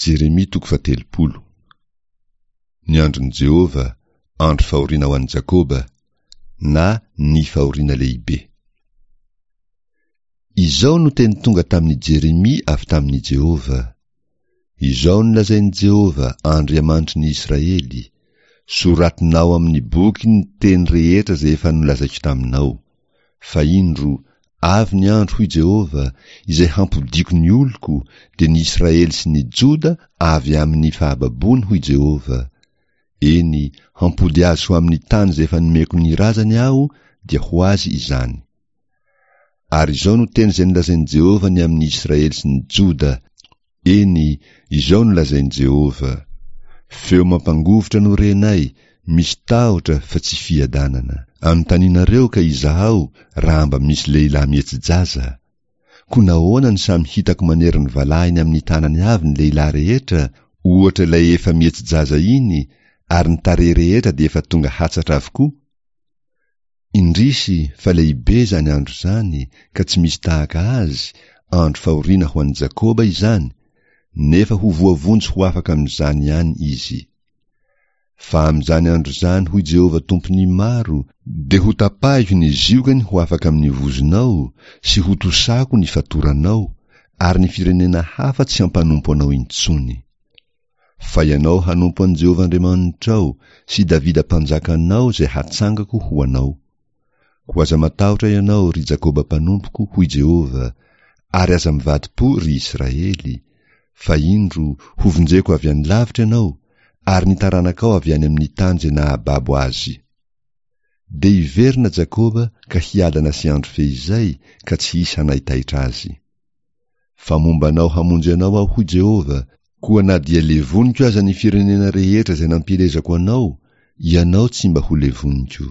Jeremia toko fahatelopolo. Ny andron'i Jehovah, andro fahoriana ho an'i Jakoba, na ny fahoriana lehibe. Izao no teny tonga tamin'i Jeremia avy tamin'i Jehovah, Izao no lazain'i Jehovah, Andriamanitry ny Israely, Soratinao amin'ny boky ny teny rehetra izay efa nolazaiko taminao. Fa indro, avy ny andro, hoy Jehovah, izay hampodiako ny oloko, dia ny Israely sy ny Joda avy amin'ny fahababoany, hoy Jehovah. Eny, hampody azy ho amin'ny tany izay efa nomeko ny razany Aho, dia ho azy izany. Ary izao no teny izay nolazain'i Jehovah ny amin'ny Israely sy ny Joda, Eny, izao no lazain'i Jehovah, Feo mampangovitra no renay, misy tahotra fa tsy fiadanana. Anontanianareo ka izahao raha mba misy lehilahy mihetsi-jaza. Koa nahoana no samy hitako manery ny valahiny amin'ny tanany avy ny lehilahy rehetra, ohatra ilay efa mihetsi-jaza iny, ary ny tarehy rehetra dia efa tonga hatsatra avokoa? Indrisy fa lehibe izany andro izany ka tsy misy tahaka azy, andro fahoriana ho an'i Jakoba izany, nefa ho voavonjy ho afaka amin'izany ihany izy. Fa amin'izany andro izany, hoy Jehovah Tompon'ny maro, dia hotapahiko ny ziogany ho afaka amin'ny vozonao, sy hotosako ny fatoranao, ary ny firenena hafa tsy hampanompo anao intsony. Fa ianao hanompo an'i Jehovah Andriamanitrao sy Davida mpanjakanao izay hatsangako ho anao. Koa aza matahotra ianao, ry Jakoba mpanompoko, hoy Jehovah, ary aza mivadi-po, ry Israely, fa indro, hovonjeko avy any lavitra ianao, ary ny taranakao avy any amin'ny tany izay nahababo azy. Dia hiverina Jakoba ka hiadana sy andro feizay ka tsy hisy hanaitaitra azy. Fa momba anao hamonjy anao Aho, hoy Jehovah, koa na dia levoniko aza ny firenena rehetra izay nampielezako anao, ianao tsy mba ho levoniko.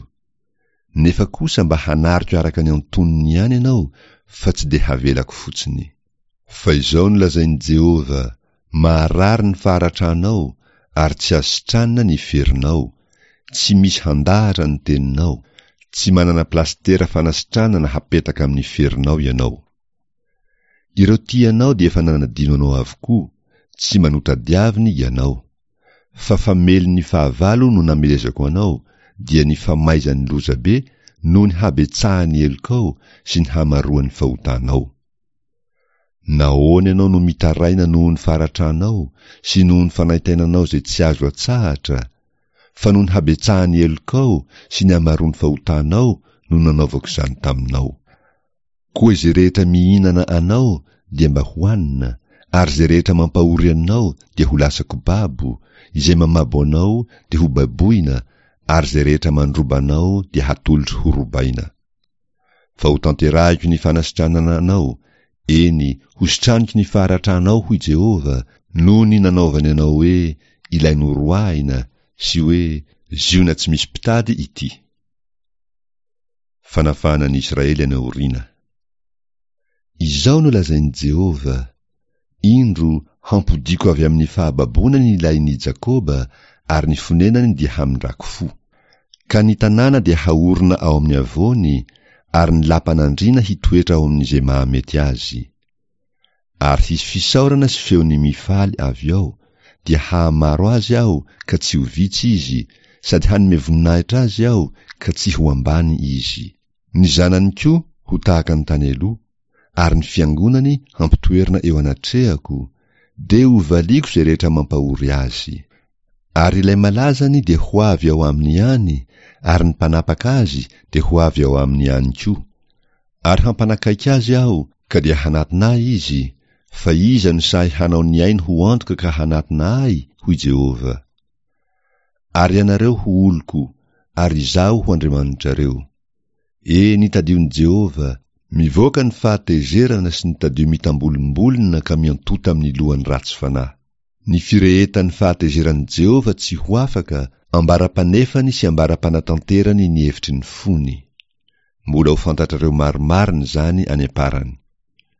Nefa kosa mba hanariko araka ny antonony ihany ianao, fa tsy dia havelako fotsiny. Fa izao no lazain'i Jehovah, Maharary ny faharatranao, ary tsy azo sitranina ny ferinao, tsy misy handahatra ny teninao, tsy manana plasitera fanasitranana hapetaka amin'ny ferinao ianao. Ireo tia anao dia efa nanadino anao avokoa, tsy mba notadiaviny ianao. Fa famelin'ny fahavalo no namelezako anao, dia ny famaizan'ny lozabe noho ny habetsahan'ny helokao sy ny hamaroan'ny fahotanao. Nahoana ianao no mitaraina noho ny faharatranao sy noho ny fanaintainanao izay tsy azo atsahatra? Fa noho ny habetsahan'ny helokao sy ny hamaroan'ny fahotanao no nanaovako izany taminao. Koa izay rehetra mihinana anao dia mba hohanina, ary izay rehetra mampahory anao dia ho lasa kobabo, izay mamabo anao dia ho baboina, ary izay rehetra mandroba anao dia hatolotro horobaina. Fa hotanterahiko ny fanasitranana anao, eny, hositraniko ny faharatranao, hoy Jehovah, noho ny nanaovany anao hoe ilay noroahina, sy hoe Ziona tsy misy mpitady ity. Fanafahana ny Israely any aoriana. Izao no lazain'i Jehovah, Indro, hampodiako avy amin'ny fahababoana ny lain'i Jakoba, ary ny fonenany dia hamindrako fo. Ka ny tanàna dia haorina ao amin'ny havoany, ary ny lapan'andriana hitoetra ao amin'izay mahamety azy. Ary hisy fisaorana sy feon'ny mifaly avy ao, dia hahamaro azy Aho ka tsy ho vitsy izy, sady hanome voninahitra azy Aho ka tsy ho ambany izy. Ny zanany koa ho tahaka ny tany aloha, ary ny fiangonany hampitoerina eo anatrehako, dia hovaliako izay rehetra mampahory azy. Ary ilay malazany dia ho avy ao aminy ihany, ary ny mpanapaka azy dia ho avy ao aminy ihany koa. Ary hampanakaiky azy aho, ka dia hanatona ahy izy, fa iza no sahy hanao ny ainy ho antoka ka hanatona ahy? hoy Jehovah. Ary ianareo ho oloko, ary Izaho ho Andriamanitrareo. Eny, tadion'i Jehovah, mivoaka ny fahatezerana sy ny tadio mitambolimbolina ka miantota amin'ny lohan'ny ratsy fanahy. Ny firehetan'ny fahatezeran'i Jehovah tsy ho afaka, ambara-panefany sy ambara-panatanterany ny hevitry ny fony. Mbola ho fantatrareo marimarina izany any am-parany.